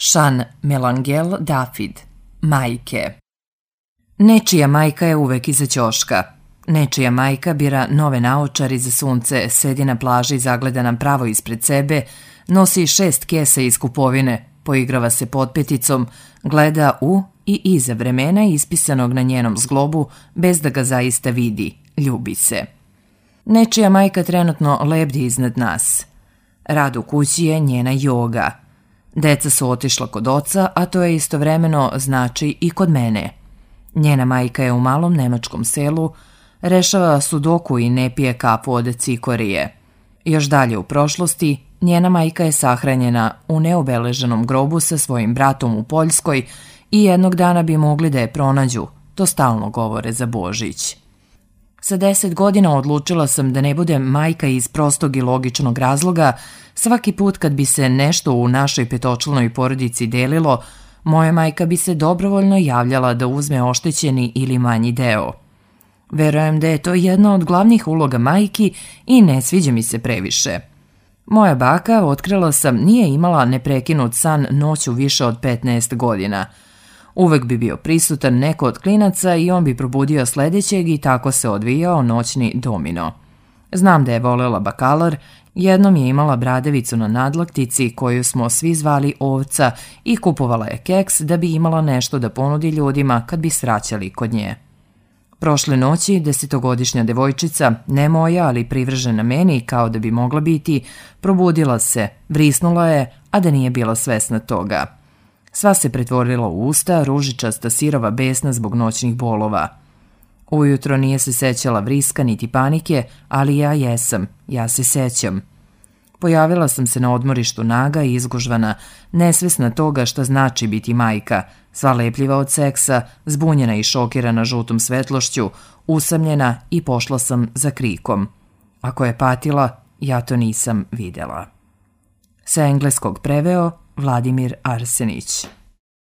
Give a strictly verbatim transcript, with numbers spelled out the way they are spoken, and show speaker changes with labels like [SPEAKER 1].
[SPEAKER 1] Sean Melangel Dafid. Majke. Nečija majka je uvek iza ćoška. Nečija majka bira nove naočare za sunce, sedi na plaži, zagleda nam pravo ispred sebe, nosi šest kesa iz kupovine, poigrava se potpeticom, gleda u i iza vremena ispisanog na njenom zglobu bez da ga zaista vidi, ljubi se. Nečija majka trenutno lebdi iznad nas. Rad u kući je njena joga. Deca su otišla kod oca, a to je istovremeno znači i kod mene. Njena majka je u malom nemačkom selu, rešava sudoku i ne pije kafu od cikorije. Još dalje u prošlosti, njena majka je sahranjena u neobeleženom grobu sa svojim bratom u Poljskoj i jednog dana bi mogli da je pronađu, to stalno govore za Božić. Sa deset godina odlučila sam da ne budem majka iz prostog i logičnog razloga. Svaki put kad bi se nešto u našoj petočlanoj porodici delilo, moja majka bi se dobrovoljno javljala da uzme oštećeni ili manji deo. Verujem da je to jedna od glavnih uloga majki i ne sviđa mi se previše. Moja baka, otkrila sam, nije imala neprekinut san noću više od petnaest godina. Uvek bi bio prisutan neko od klinaca i on bi probudio sledećeg i tako se odvijao noćni domino. Znam da je volela bakalar, jednom je imala bradavicu na nadlaktici koju smo svi zvali Ovca i kupovala je keks da bi imala nešto da ponudi ljudima kad bi svraćali kod nje. Prošle noći desetogodišnja devojčica, ne moja, ali privržena meni kao da bi mogla biti, probudila se, vrisnula je, a da nije bila svesna toga. Sva se pretvorila u usta, ružičasta, sirova, besna zbog noćnih bolova. Ujutro nije se sećala vriska niti panike, ali ja jesam, ja se sećam. Pojavila sam se na odmorištu naga i izgužvana, nesvesna toga šta znači biti majka, sva lepljiva od seksa, zbunjena i šokirana žutom svetlošću, usamljena i pošla sam za krikom. Ako je patila, ja to nisam videla. Sa engleskog preveo Vladimir Arsenić.